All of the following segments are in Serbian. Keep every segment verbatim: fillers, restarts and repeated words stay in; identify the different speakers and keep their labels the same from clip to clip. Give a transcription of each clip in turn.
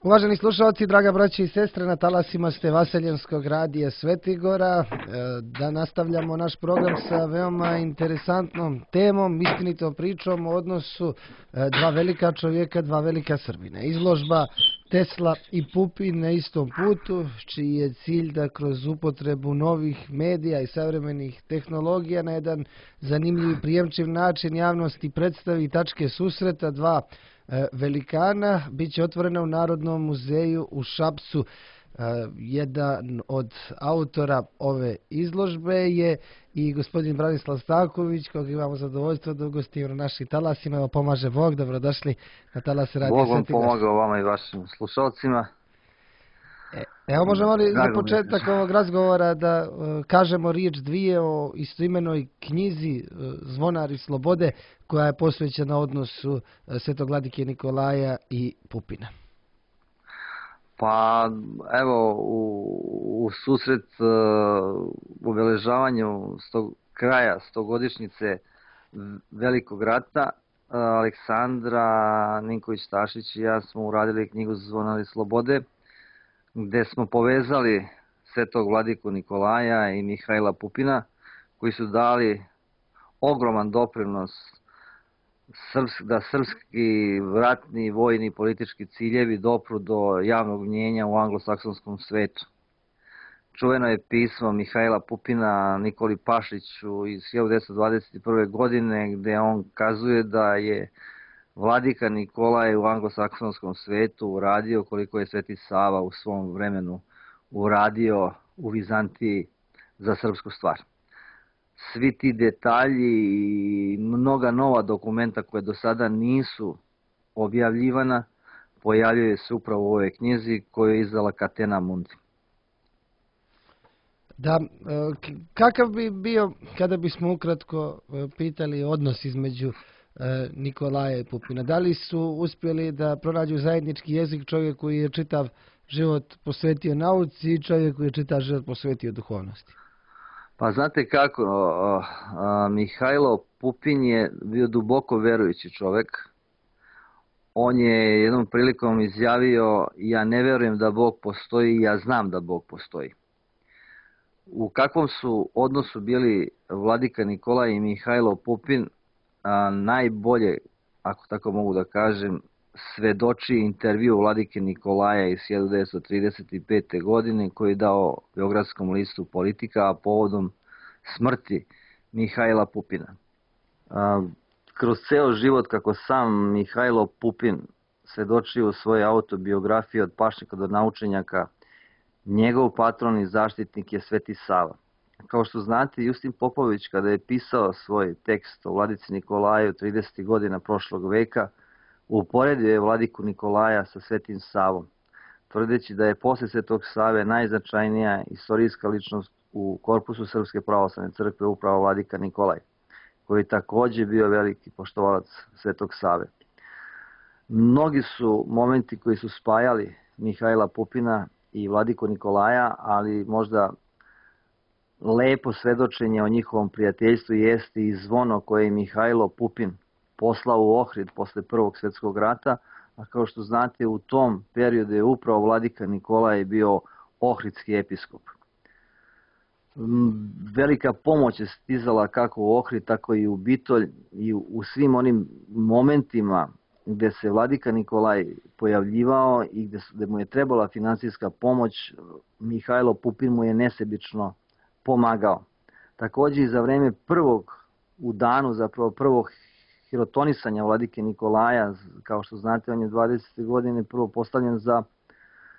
Speaker 1: Uvaženi slušalci, draga braća i sestre, na talasima ste Vaseljenskog radija Svetigora. Da nastavljamo naš program sa veoma interesantnom temom, istinitom pričom o odnosu dva velika čovjeka, dva velika Srbina. Izložba Tesla i Pupin na istom putu, čiji je cilj da kroz upotrebu novih medija i savremenih tehnologija na jedan zanimljiv i prijemčiv način javnosti predstavi tačke susreta dva velikana. Biće otvorena u Narodnom muzeju u Šapcu. Jedan od autora ove izložbe je i gospodin Branislav Stanković, kojeg imamo zadovoljstvo da ugostimo na našim talasima. Evo, pomaže Bog, dobrodošli na talase Radija
Speaker 2: Bog vam
Speaker 1: Svetigor.
Speaker 2: pomogao vama i vašim slušalcima.
Speaker 1: E, evo možemo li za početak ovog razgovora da uh, kažemo riječ dvije o istoimenoj knjizi uh, Zvonari slobode, koja je posvećena odnosu uh, Svetog vladike Nikolaja i Pupina.
Speaker 2: Pa evo, u, u susret uh, obeležavanju stog, kraja stogodišnjice Velikog rata, uh, Aleksandra Ninković-Tašić i ja smo uradili knjigu Zvonari slobode, gde smo povezali Svetog vladiku Nikolaja i Mihajla Pupina, koji su dali ogroman doprinos da srpski ratni, vojni i politički ciljevi dopru do javnog mnjenja u anglosaksonskom svetu. Čuveno je pismo Mihajla Pupina Nikoli Pašiću iz hiljadu devetsto dvadeset prve. godine, gde on kazuje da je vladika Nikolaj u anglosaksonskom svetu uradio koliko je Sveti Sava u svom vremenu uradio u Vizantiji za srpsku stvar. Svi ti detalji i mnoga nova dokumenta koje do sada nisu objavljivana pojavljuje se upravo u ovoj knjizi koju je izdala Catena Mundi.
Speaker 1: Da, kakav bi bio, kada bismo ukratko pitali, odnos između Nikolaja i Pupina? Da li su uspjeli da pronađu zajednički jezik, čovjek koji je čitav život posvetio nauci i čovjek koji je čitav život posvetio duhovnosti?
Speaker 2: Pa znate kako, Mihajlo Pupin je bio duboko verujući čovjek. On je jednom prilikom izjavio: ja ne verujem da Bog postoji, ja znam da Bog postoji. U kakvom su odnosu bili vladika Nikolaj i Mihajlo Pupin, a najbolje, ako tako mogu da kažem, svedoči intervju vladike Nikolaja iz hiljadu devetsto trideset pete. godine koji je dao Beogradskom listu Politika, a povodom smrti Mihajla Pupina. A, kroz ceo život, kako sam Mihajlo Pupin svedoči u svojoj autobiografiji Od pašnjaka do naučenjaka, njegov patron i zaštitnik je Sveti Sava. Kao što znate, Justin Popović, kada je pisao svoj tekst o vladici Nikolaju tridesetih godina prošlog veka, uporedio je vladiku Nikolaja sa Svetim Savom, tvrdeći da je posle Svetog Save najznačajnija istorijska ličnost u korpusu Srpske pravoslavne crkve upravo vladika Nikolaj, koji je takođe bio veliki poštovalac Svetog Save. Mnogi su momenti koji su spajali Mihajla Pupina i vladiku Nikolaja, ali možda lepo svedočenje o njihovom prijateljstvu jeste i zvono koje je Mihajlo Pupin poslao u Ohrid posle Prvog svjetskog rata, a kao što znate, u tom periodu je upravo vladika Nikolaj bio ohridski episkop. Velika pomoć je stizala kako u Ohrid, tako i u Bitolj, i u svim onim momentima gde se vladika Nikolaj pojavljivao i gde, gde mu je trebala finansijska pomoć, Mihajlo Pupin mu je nesebično pomagao. Takođe i za vreme prvog, u danu zapravo prvog hirotonisanja vladike Nikolaja, kao što znate, on je dvadesete. godine prvo postavljen za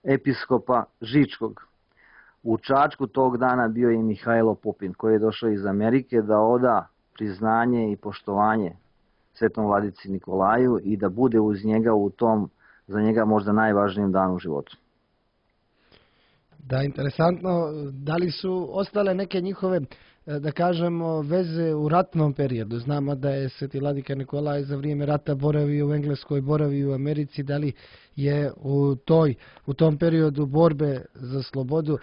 Speaker 2: episkopa Žičkog. U Čačku tog dana bio je i Mihajlo Pupin, koji je došao iz Amerike da oda priznanje i poštovanje svetom vladici Nikolaju i da bude uz njega u tom, za njega možda najvažnijem danu u životu.
Speaker 1: Da, interesantno. Da li su ostale neke njihove, da kažemo, veze u ratnom periodu? Znamo da je sveti vladika Nikolaj za vrijeme rata boravio u Engleskoj, boravio u Americi. Da li je u, toj, u tom periodu borbe za slobodu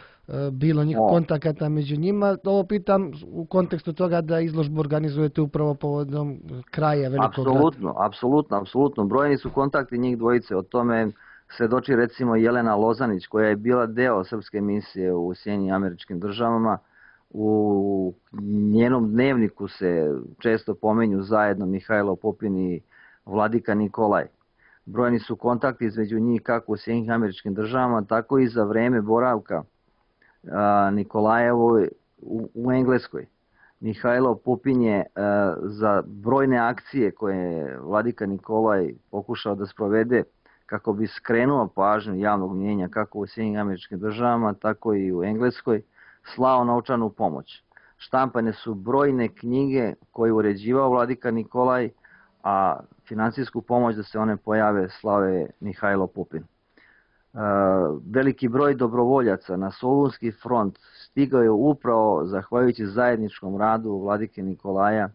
Speaker 1: bilo njih kontakata među njima? Ovo pitam u kontekstu toga da izložbu organizujete upravo povodom kraja Velikog rata.
Speaker 2: Apsolutno, apsolutno, apsolutno. Brojni su kontakti njih dvojice. O tome svedoči recimo Jelena Lozanić, koja je bila deo srpske misije u Sjedinjenim Američkim Državama. U njenom dnevniku se često pomenju zajedno Mihajlo Pupin i vladika Nikolaj. Brojni su kontakti između njih kako u Sjedinjenim Američkim Državama, tako i za vreme boravka Nikolajevoj u Engleskoj. Mihajlo Pupin je za brojne akcije koje je vladika Nikolaj pokušao da sprovede kako bi skrenuo pažnju javnog mnijenja kako u Sjedinjenim Američkim Državama, tako i u Engleskoj, slao novčanu pomoć. Štampane su brojne knjige koje je uređivao vladika Nikolaj, a finansijsku pomoć da se one pojave slao je Mihajlo Pupin. Veliki broj dobrovoljaca na Solunski front stigao je upravo zahvaljujući zajedničkom radu vladike Nikolaja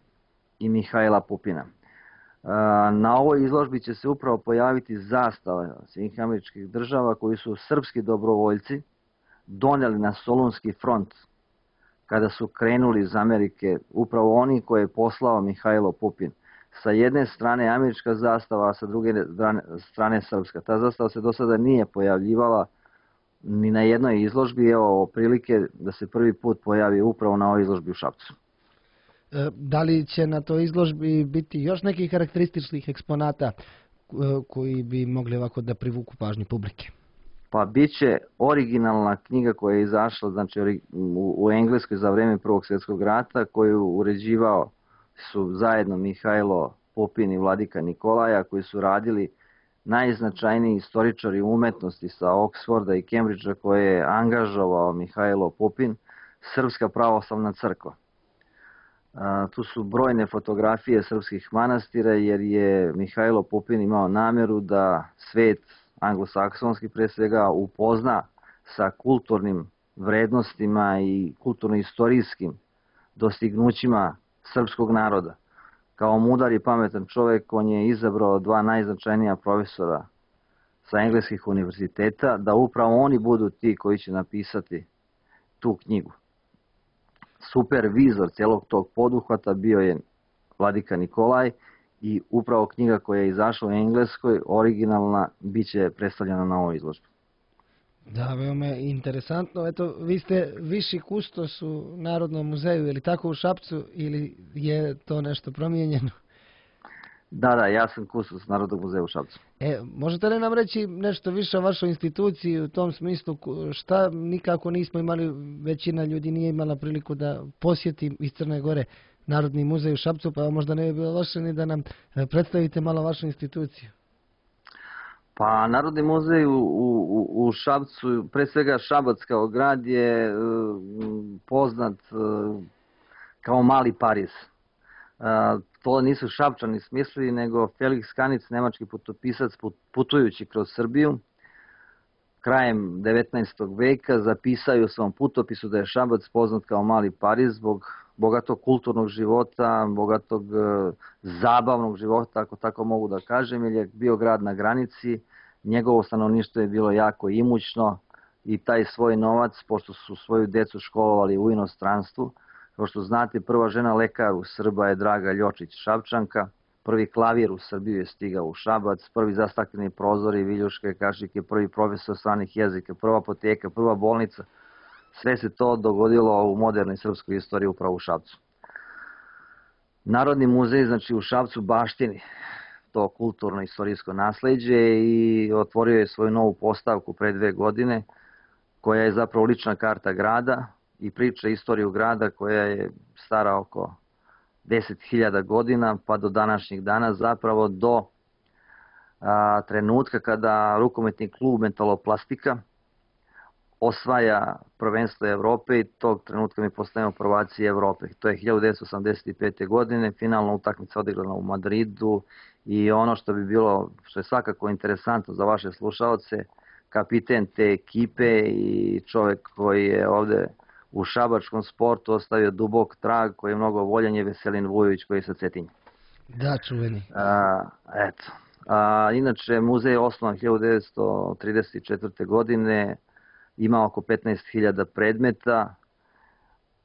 Speaker 2: i Mihajla Pupina. Na ovoj izložbi će se upravo pojaviti zastava Sjedinjenih Američkih Država koji su srpski dobrovoljci doneli na Solunski front kada su krenuli iz Amerike, upravo oni koje je poslao Mihajlo Pupin. Sa jedne strane američka zastava, a sa druge strane srpska. Ta zastava se do sada nije pojavljivala ni na jednoj izložbi, evo prilike da se prvi put pojavi upravo na ovoj izložbi u Šapcu.
Speaker 1: Da li će na toj izložbi biti još nekih karakterističnih eksponata koji bi mogli ovako da privuku pažnju publike?
Speaker 2: Pa bit će originalna knjiga koja je izašla znači, u Engleskoj za vreme Prvog svjetskog rata, koju uređivao su zajedno Mihajlo Pupin i vladika Nikolaja, koji su radili najznačajniji istoričari umetnosti sa Oxforda i Cambridgea koje je angažovao Mihajlo Pupin, Srpska pravoslavna crkva. Tu su brojne fotografije srpskih manastira jer je Mihajlo Pupin imao namjeru da svet anglosaksonski pre svega upozna sa kulturnim vrednostima i kulturno-istorijskim dostignućima srpskog naroda. Kao mudar i pametan čovjek on je izabrao dva najznačajnija profesora sa engleskih univerziteta da upravo oni budu ti koji će napisati tu knjigu. Supervizor cijelog tog poduhvata bio je vladika Nikolaj i upravo knjiga koja je izašla u Engleskoj, originalna, bit će predstavljena na ovoj izložbi.
Speaker 1: Da, veoma je interesantno. Eto, vi ste viši kustos u Narodnom muzeju, je li tako u Šapcu ili je to nešto promijenjeno?
Speaker 2: Da, da, ja sam kustos Narodnog muzeja u Šapcu.
Speaker 1: E, možete li nam reći nešto više o vašoj instituciji u tom smislu šta nikako nismo imali, većina ljudi nije imala priliku da posjeti iz Crne Gore Narodni muzej u Šapcu, pa možda ne bi bilo loše ni da nam predstavite malo vašu instituciju.
Speaker 2: Pa Narodni muzej u, u, u Šapcu, pre svega Šabac kao grad je poznat kao mali Pariz. To nisu Šapčani smislili, nego Felix Kanic, nemački putopisac putujući kroz Srbiju, krajem devetnaestog veka zapisao u svom putopisu da je Šabac poznat kao mali Pariz zbog bogatog kulturnog života, bogatog zabavnog života, ako tako mogu da kažem, jer je bio grad na granici, njegovo stanovništvo je bilo jako imućno i taj svoj novac, pošto su svoju decu školovali u inostranstvu, kao što znate, prva žena lekar u Srba je Draga Ljočić Šapčanka, prvi klavir u Srbiju je stigao u Šabac, prvi zastakleni prozori, viljuške, kašike, prvi profesor stranih jezika, prva apoteka, prva bolnica. Sve se to dogodilo u modernoj srpskoj istoriji upravo u Šapcu. Narodni muzej, znači u Šapcu, baštini to kulturno-istorijsko nasleđe i otvorio je svoju novu postavku pre dve godine, koja je zapravo lična karta grada i priča istoriju grada koja je stara oko deset hiljada godina, pa do današnjih dana, zapravo do a, trenutka kada rukometni klub Metaloplastika osvaja prvenstvo Evrope i tog trenutka mi postajemo prvaci Evrope. To je hiljadu devetsto osamdeset pete. godine, finalna utakmica odigrana u Madridu i ono što bi bilo, što je svakako interesantno za vaše slušaoce, kapiten te ekipe i čovjek koji je ovde u šabačkom sportu ostavio dubok trag koji je mnogo voljen je Veselin Vujović koji je sa Cetinja.
Speaker 1: Da, čuveni.
Speaker 2: A, eto. A, inače, muzej je osnovan hiljadu devetsto trideset četvrte. godine, ima oko petnaest hiljada predmeta,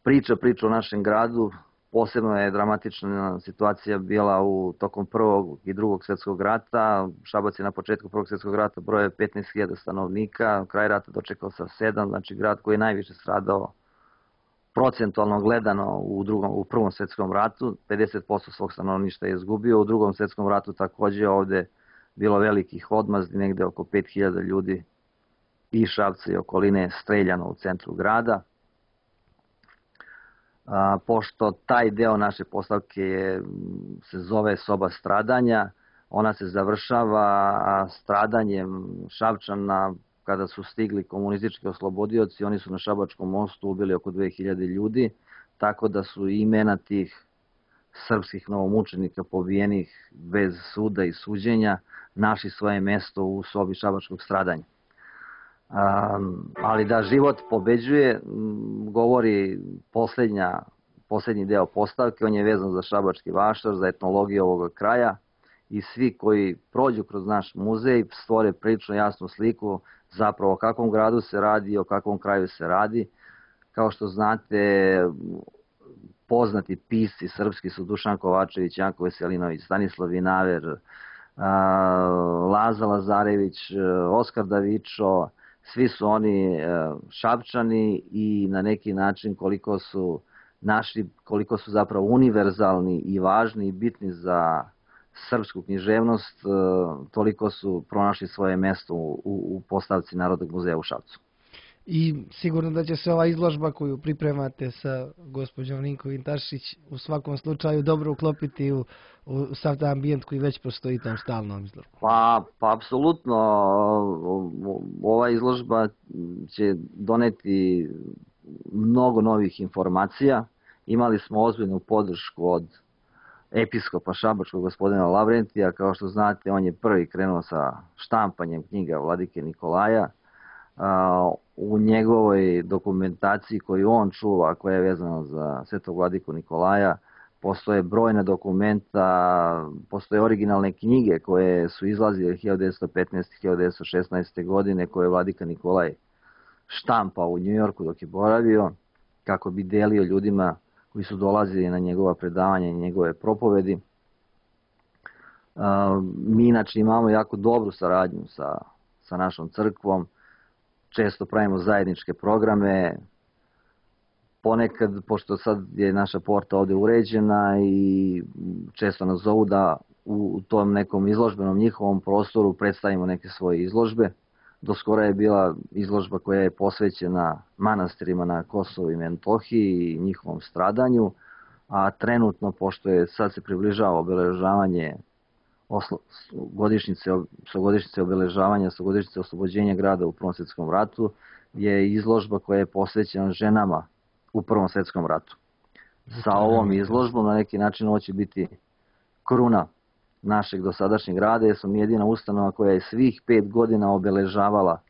Speaker 2: priča priča o našem gradu, Posebno je dramatična situacija bila u tokom prvog i drugog svjetskog rata. Šabac je na početku prvog svjetskog rata brojao petnaest hiljada stanovnika, kraj rata dočekao sa sedam, znači grad koji je najviše stradao procentualno gledano u, drugom, u prvom svjetskom ratu, pedeset posto svog stanovništva je izgubio. U drugom svjetskom ratu također ovdje bilo velikih odmazdi, negde oko pet hiljada ljudi i Šapca i okoline streljano u centru grada. A, pošto taj deo naše postavke je, se zove soba stradanja, ona se završava stradanjem Šapčana kada su stigli komunistički oslobodioci. Oni su na Šabačkom mostu ubili oko dve hiljade ljudi, tako da su imena tih srpskih novomučenika pobijenih bez suda i suđenja našli svoje mesto u sobi Šabačkog stradanja. Um, ali da život pobeđuje, govori posljednja, posljednji deo postavke. On je vezan za Šabački vašar, za etnologiju ovoga kraja, i svi koji prođu kroz naš muzej stvore prilično jasnu sliku zapravo o kakvom gradu se radi i o kakvom kraju se radi. Kao što znate, poznati pisci srpski su Dušan Kovačević, Janko Veselinović, Stanislav Vinaver, Laza Lazarević, Oskar Davičo. Svi su oni Šapčani i na neki način koliko su našli, koliko su zapravo univerzalni i važni i bitni za srpsku književnost, toliko su pronašli svoje mjesto u, u postavci Narodnog muzeja u Šapcu.
Speaker 1: I sigurno da će se ova izložba koju pripremate sa gospođom Ninkovin Tašić u svakom slučaju dobro uklopiti u, u sav taj ambijent koji već postoji tam stalnom izložbom.
Speaker 2: Pa, pa apsolutno, ova izložba će doneti mnogo novih informacija. Imali smo ozbiljnu podršku od episkopa Šabačkog gospodina Lavrentija. Kao što znate, on je prvi krenuo sa štampanjem knjiga Vladike Nikolaja. U njegovoj dokumentaciji koju on čuva, koja je vezana za Svetog Vladiku Nikolaja, postoje brojna dokumenta, postoje originalne knjige koje su izlazile hiljadu devetsto petnaeste. hiljadu devetsto šesnaeste. godine, koje je Vladika Nikolaj štampao u Njujorku dok je boravio, kako bi delio ljudima koji su dolazili na njegova predavanja i njegove propovedi. Mi inače imamo jako dobru saradnju sa, sa našom crkvom, često pravimo zajedničke programe. Ponekad, pošto sad je naša porta ovdje uređena i često nas zovu da u tom nekom izložbenom njihovom prostoru predstavimo neke svoje izložbe. Doskora je bila izložba koja je posvećena manastirima na Kosovu i Metohiji i njihovom stradanju, a trenutno, pošto je sad se približava obeležavanje godišnjice, godišnjice obeležavanja, godišnjice oslobođenja grada u Prvom svjetskom ratu, je izložba koja je posvećena ženama u Prvom svjetskom ratu. Sa ovom izložbom na neki način ovo će biti kruna našeg dosadašnjeg rada, jer smo mi jedina ustanova koja je svih pet godina obeležavala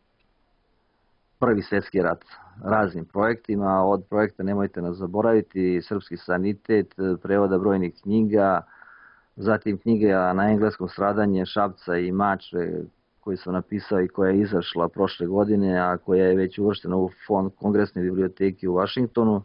Speaker 2: Prvi svjetski rat raznim projektima. Od projekta Nemojte nas zaboraviti, Srpski sanitet, prevoda brojnih knjiga, zatim knjiga na engleskom Stradanje Šapca i Mačve koju sam napisao i koja je izašla prošle godine, a koja je već uvrštena u fond Kongresne biblioteke u Vašingtonu.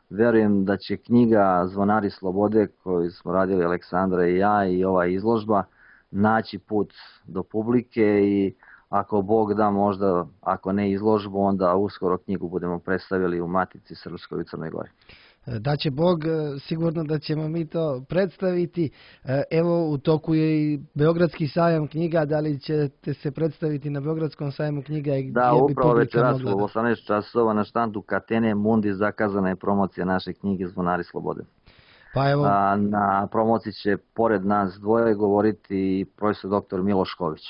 Speaker 2: Verujem da će knjiga Zvonari slobode, koju smo radili Aleksandra i ja, i ova izložba naći put do publike i ako Bog da, možda, ako ne izložbu, onda uskoro knjigu budemo predstavili u Matici Srpskoj u Crnoj Gori.
Speaker 1: Da će Bog, sigurno da ćemo mi to predstaviti. Evo, u toku je i Beogradski sajam knjiga, da li ćete se predstaviti na Beogradskom sajmu knjiga? I
Speaker 2: da, upravo večeras u osamnaest časova na štandu Katene Mundi zakazana je promocija naše knjige Zvonari slobode.
Speaker 1: Pa evo...
Speaker 2: A, na promociji će pored nas dvoje govoriti profesor doktor Miloš Ković.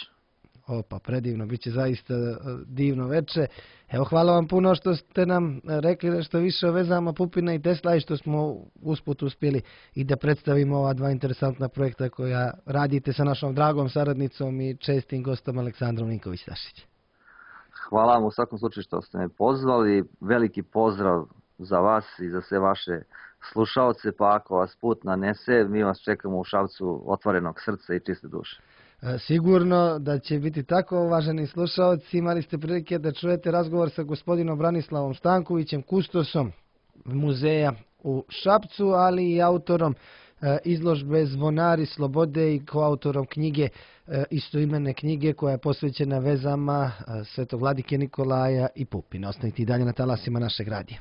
Speaker 1: Opa, predivno, bit će zaista divno veče. Evo, hvala vam puno što ste nam rekli nešto više o vezama Pupina i Tesla i što smo usput uspjeli i da predstavimo ova dva interesantna projekta koja radite sa našom dragom saradnicom i čestim gostom Aleksandrom Ninković-Tašić.
Speaker 2: Hvala vam u svakom slučaju što ste me pozvali. Veliki pozdrav za vas i za sve vaše slušaoce, pa ako vas put nanese, mi vas čekamo u Šapcu otvorenog srca i čiste duše.
Speaker 1: Sigurno da će biti tako, uvaženi slušalci. Imali ste prilike da čujete razgovor sa gospodinom Branislavom Stankovićem, kustosom muzeja u Šapcu, ali i autorom izložbe Zvonari slobode i koautorom knjige, istoimene knjige koja je posvećena vezama Svetog vladike Nikolaja i Pupina. Ostanite i dalje na talasima našeg radija.